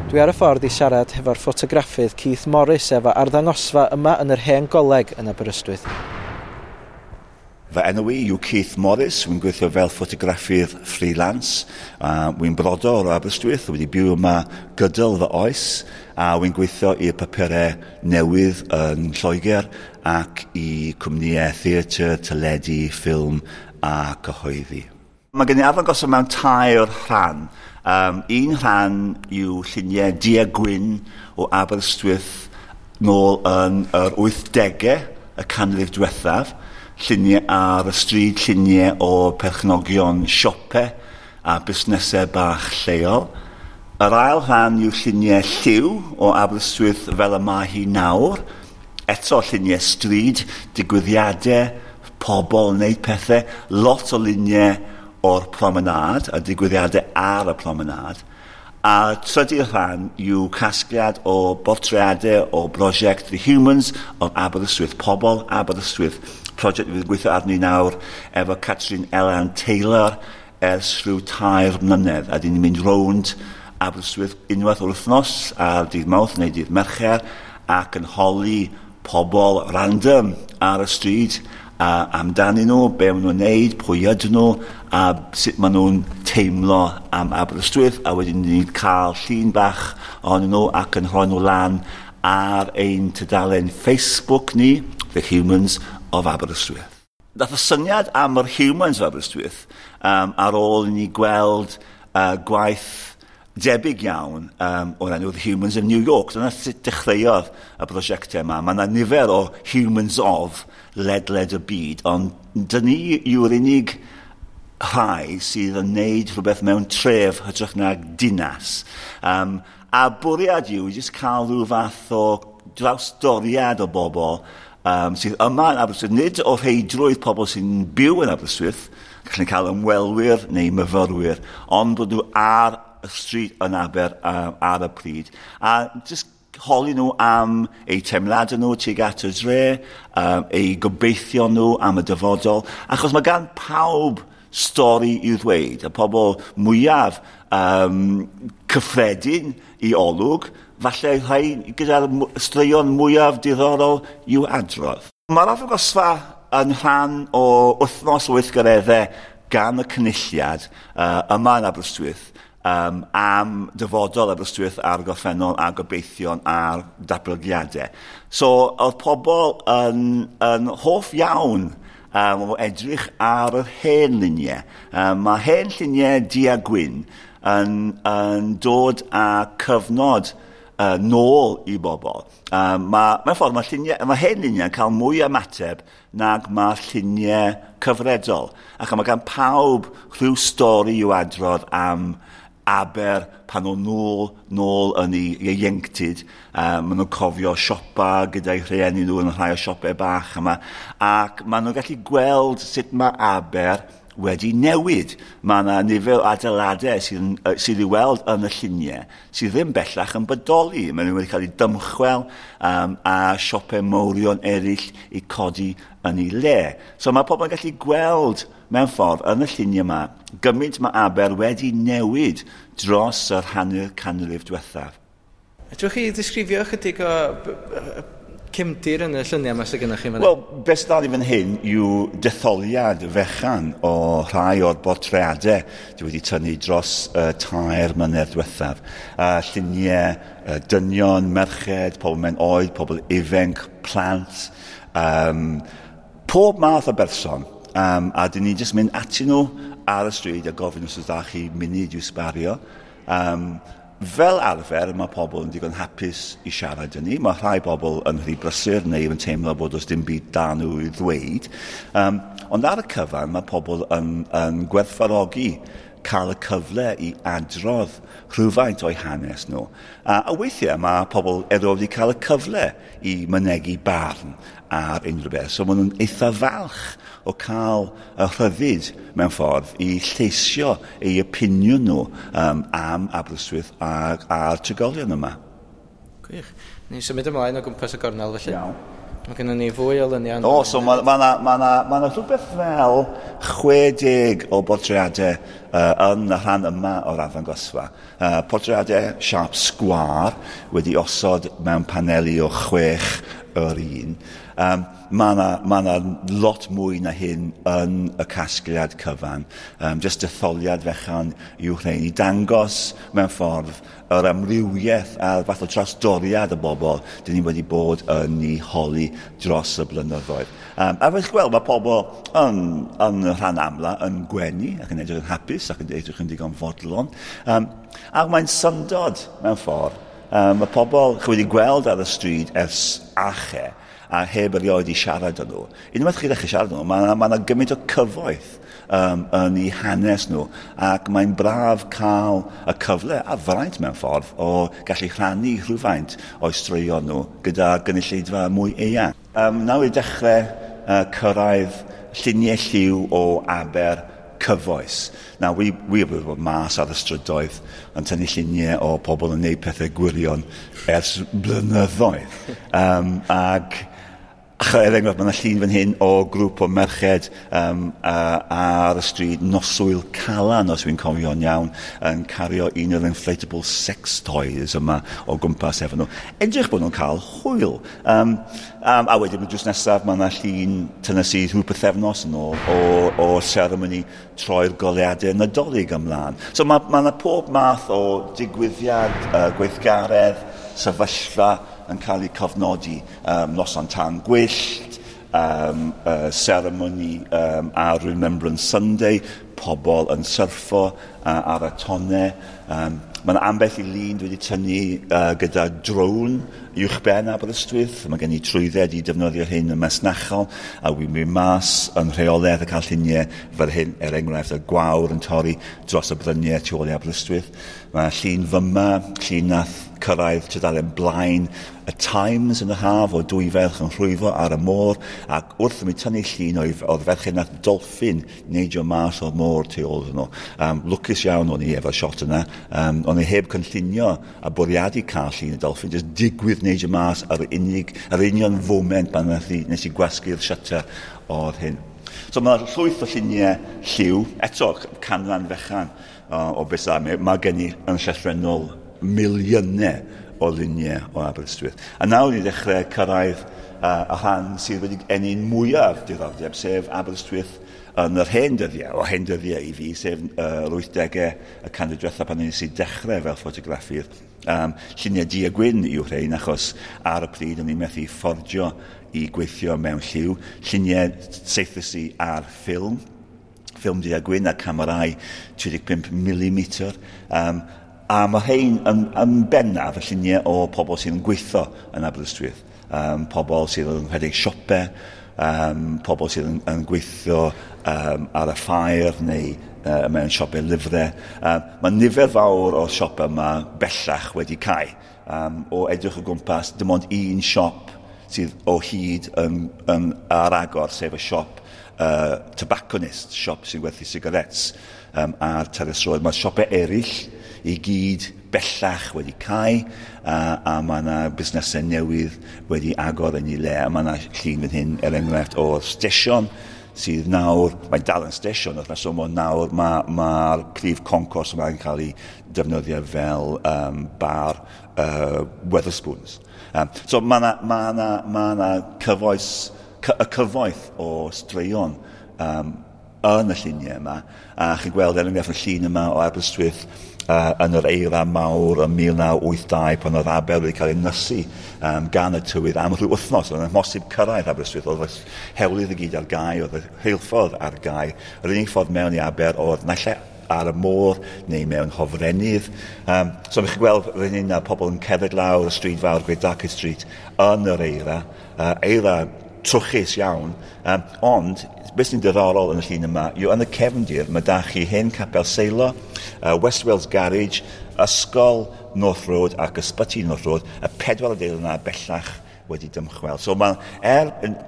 Dwi ar y ffordd i siarad hefo'r ffotograffydd Keith Morris efo arddangosfa yma yn yr Hen Goleg yn Aberystwyth. Fy enw i yw Keith Morris, wy'n gweithio fel ffotograffydd freelance. Wy'n brodor o Aberystwyth, wedi byw yma gydol fy oes, a wy'n gweithio i'r papurau newydd yn Lloegr ac i cwmnïau theatr, teledu, ffilm a cyhoeddi. Mae gen i arddangosfa mewn tair rhan. Un rhan yw lluniau du a gwyn o Aberystwyth nôl yn yr 80au, y canrif diwethaf. Lluniau ar y stryd, lluniau o perchnogion siopau a busnesau bach lleol. Yr ail rhan yw lluniau lliw o Aberystwyth fel y mae hi nawr. Eto lluniau stryd, digwyddiadau, pobl yn wneud pethau, lot o luniau o'r promenâd a digwyddiadau ar y promenâd. A trydydd rhan yw casgliad o bortreadau o brosiect The Humans of Aberystwyth, Pobl Aberystwyth, prosiect fydd yn gweithio arni nawr efo Catrin Elan Taylor ers rhyw 3 mlynedd, a dyn ni'n mynd rownd Aberystwyth unwaith o'r wythnos ar dydd Mawrth neu dydd Mercher ac yn holi pobl random ar y stryd a amdanyn nhw, be maen nhw'n neud, pwy ydyn nhw, a sut maen nhw'n teimlo am Aberystwyth, a wedyn ni'n cael llun bach ohonyn nhw ac yn rhoi nhw lan ar ein tudalen Facebook ni, The Humans of Aberystwyth. Dath y syniad am yr Humans of Aberystwyth ar ôl i ni gweld gwaith debyg iawn o'r enw The Humans of New York. Dyna sut dechreuodd y prosiectau yma. Mae yna nifer o Humans of ledled y byd, ond dyn ni yw'r unig rhai sydd yn neud rhywbeth mewn tref hytrach na dinas. A bwriad yw i jyst cael rhyw fath o drawsdoriad o bobl sydd yma yn Aberystwyth, nid o rheidrwydd pobl sy'n byw yn Aberystwyth, gallen cael ymwelwyr neu myfyrwyr, ond bod nhw ar y stryd yn Aber ar y pryd. A jyst holi nhw am eu teimladau nhw tuag at y dre, eu gobeithio nhw am y dyfodol, achos mae gan pawb stori i'w ddweud. Y pobl mwyaf cyffredin i olwg, falle rhai gyda'r straeon mwyaf diddorol i'w adrodd. Mae'r arddangosfa yn rhan o wythnos o weithgareddau gan y Cynulliad yma yn Aberystwyth, am dyfodol Aberystwyth a'r gorffennol a gobeithion a'r datblygiadau. So, oedd pobl yn hoff iawn o edrych ar yr hen luniau. Mae hen lluniau du a gwyn yn dod â cyfnod nôl i bobl. Mewn ffordd, mae hen luniau'n cael mwy o ymateb nag mae lluniau cyfredol. Ac mae gan pawb rhyw stori i'w adrodd am Aber pan o'n nôl yn ei ieuenctid. Maen nhw'n cofio siopa gyda'i rhieni nhw yn rhai o siopau bach yma. Ac maen nhw'n gallu gweld sut mae Aber wedi newid. Mae yna nifer o adeiladau sydd i'w weld yn y lluniau sydd ddim bellach yn bodoli. Maen nhw wedi cael eu dymchwel a siopau mawrion eraill i codi yn ei le. So mae pobl yn gallu gweld mewn ffordd yn y lluniau yma gymaint mae Aber wedi newid dros yr hanner canrif diwethaf. Fedrwch chi ddisgrifio ychydig o cefndir yn y lluniau yma sydd gennych chi fan hyn? Wel, beth sydd fan hyn yw detholiad fechan o rhai o'r bortreadau dwi wedi tynnu dros 3 mlynedd diwethaf. Lluniau dynion, merched, pobl mewn oed, pobl ifanc, plant, pob math o berson. A dyn ni jyst mynd atyn nhw ar y stryd a gofyn os oes da chi munud i'w sbario. Fel arfer, mae pobl yn digon hapus i siarad â ni. Mae rhai bobl yn rhy brysur neu yn teimlo bod oes dim byd da nhw i ddweud. Ond ar y cyfan, mae pobl yn gwerthfawrogi cael y cyfle i adrodd rhywfaint o'i hanes nhw. A weithiau mae pobl erioed wedi cael y cyfle i mynegi barn ar unrhyw beth. So maen nhw'n eitha falch o cael y rhyddid mewn ffordd i lleisio eu opinion nhw am Aberystwyth a'r trigolion yma. Gwych. Ni'n symud ymlaen o gwmpas y gornel felly. Iawn. Mae gennym ni fwy o luniau. O, so mae ma 'na ma 'na ma 'na rhywbeth fel 60 o bortreadau yn y rhan yma o'r arddangosfa. Portreadau siâp sgwâr wedi osod mewn paneli o 6 yr un. Mae 'na ma 'na lot mwy na hyn yn y casgliad cyfan. Jyst detholiad fechan yw rhein i dangos mewn ffordd yr amrywiaeth a'r fath o trawsdoriad y bobl dyn ni wedi bod yn ei holi dros y blynyddoedd. A fel chi'n gweld, mae pobl yn rhan amla yn gwenu ac yn edrych yn hapus ac yn edrych yn digon fodlon. A mae'n syndod mewn ffordd. Mae pobl chi wedi gweld ar y stryd ers ache a heb erioed i siarad â nhw. Unwaith chi ddechrau siarad â nhw, mae 'na gymaint o cyfoeth yn eu hanes nhw, ac mae'n braf cael y cyfle a fraint mewn ffordd o gallu rhannu rhywfaint o'i straeon nhw gyda gynulleidfa mwy eang. Nawr i dechrau cyrraedd lluniau lliw o Aber cyfoes. Nawr, wi wedi bod mas ar y strydoedd yn tynnu lluniau o pobl yn gwneud pethau gwirion ers blynyddoedd. Ac er enghraifft, mae yna llun fan hyn o grŵp o merched ar y stryd noswyl Calan, os dwi'n cofio'n iawn, yn cario un o'r inflatable sex toys yma o gwmpas efo nhw. Edrych bod nhw'n cael hwyl. A wedyn, drws nesaf, mae yna llun tynnes i rhyw pythefnos yn ôl o seremoni troi'r goleuadau Nadolig ymlaen. So mae yna pob math o digwyddiad, gweithgaredd, sefyllfa yn cael ei cofnodi. Noson tân gwyllt, seremoni ar Remembrance Sunday, pobl yn syrffo ar y tonnau. Mae yna ambell i lun dwi wedi tynnu gyda drone uwchben Aberystwyth. Mae gen i trwydded i defnyddio hyn yn masnachol, a wy'n mynd mas yn rheolaidd a cael lluniau fel hyn, er enghraifft, y gwawr yn torri dros y bryniau tu ôl i Aberystwyth. Mae llun fyma, llun nath cyrraedd tudalen blaen y Times yn y haf o dwy ferch yn rhwyfo ar y môr, ac wrth i mi tynnu llun o'r ferched nath dolffin neidio mas o'r môr tu ôl iddyn nhw. Lwcus iawn o'n i efo'r shot yna. O'n i heb cynllunio a bwriadu cael llun y dolffin, jyst digwydd neidio mas ar yr union foment pan nes i gwasgu'r shutter o'r hyn. So mae llwyth o lluniau lliw, eto canran fechan o beth mae gen i yn llythrennol miliynau o luniau o Aberystwyth. A nawr ni ddechrau cyrraedd y rhan sydd wedi ennyn mwyaf diddordeb, sef Aberystwyth yn yr hen dyddiau, o hen dyddiau i fi, sef yr 80au y canrif diwethaf pan nes i dechrau fel ffotograffydd. Lluniau du a gwyn yw rhein, achos ar y pryd o'n i'n methu fforddio i gweithio mewn lliw. Lluniau saethus i ar ffilm, ffilm du a gwyn a camerau 35 mm. A mae rhein yn bennaf y lluniau o pobl sydd yn gweithio yn Aberystwyth. Pobl sydd yn rhedeg siopau, pobl sydd yn gweithio ar y ffair neu mewn siopau lyfrau. Mae nifer fawr o'r siopau yma bellach wedi cau. O edrych o gwmpas, dim ond un siop sydd o hyd yn ar agor, sef y siop tobacconist, siop sy'n gwerthu sigarets ar Terrace Road. Mae siopau eraill i gyd bellach wedi cau, a mae yna busnesau newydd wedi agor yn ei le. A mae yna llun fan hyn, er enghraifft, o'r stesion sydd nawr, mae'n dal yn stesion wrth reswm, ond nawr mae'r prif concourse yma'n cael ei defnyddio fel bar Wetherspoons. So mae yna y cyfoeth o straeon yn y lluniau yma, a chi'n gweld er enghraifft y llun yma o Aberystwyth yn yr eira mawr yn 1982 pan oedd Aber wedi cael ei nysu gan y tywydd am rhyw wythnos. Oedd yn amhosib cyrraedd Aberystwyth, oedd y hewlydd i gyd ar gau, oedd y rheilffordd ar gau. Yr unig ffordd mewn i Aber oedd naill ai ar y môr neu mewn hofrennydd. So chi'n gweld rhywun yna, pobl yn cerdded lawr y stryd fawr, Great Darkgate Street, yn yr eira, eira trwchus iawn, ond beth sy'n diddorol yn y llun yma yw yn y cefndir mae da chi hen capel Seilo, West Wales Garage, Ysgol North Road ac Ysbyty North Road, y pedwar adeilad yna bellach wedi dymchwel. So mae,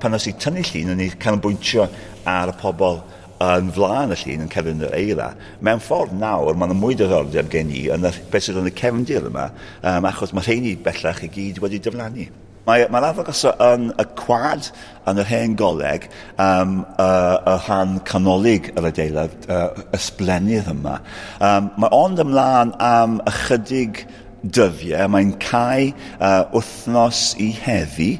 pan oes i tynnu llun, yn ei canolbwyntio ar y pobl yn flaen y llun yn cerdded yn yr eira. Mewn ffordd nawr, mae yna mwy diddordeb gen i yn y beth sydd yn y cefndir yma, achos mae rheini bellach i gyd wedi diflannu. Mae'r arddangosfa yn y cwad yn yr Hen Goleg, y rhan canolig yr adeilad, ysblennydd yma. Mae ond ymlaen am ychydig dyddiau. Mae'n cau wythnos i heddi,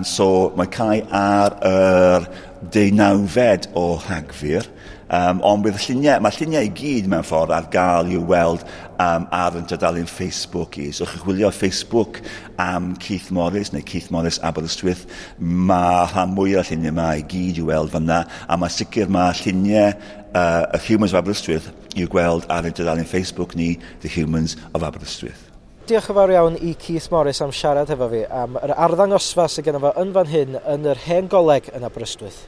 so mae'n cau ar yr 19fed o Rhagfyr. Ond bydd lluniau, mae lluniau i gyd mewn ffordd ar gael i'w weld ar yn tudalen Facebook i. So chi'n chwilio Facebook am Keith Morris neu Keith Morris Aberystwyth, mae rhan mwy o'r lluniau yma i gyd i'w weld fyna, a mae sicr mae lluniau y Humans of Aberystwyth i'w gweld ar y tudalen Facebook ni, The Humans of Aberystwyth. Diolch yn fawr iawn i Keith Morris am siarad efo fi am yr arddangosfa sydd genno fo yn fan hyn yn yr Hen Goleg yn Aberystwyth.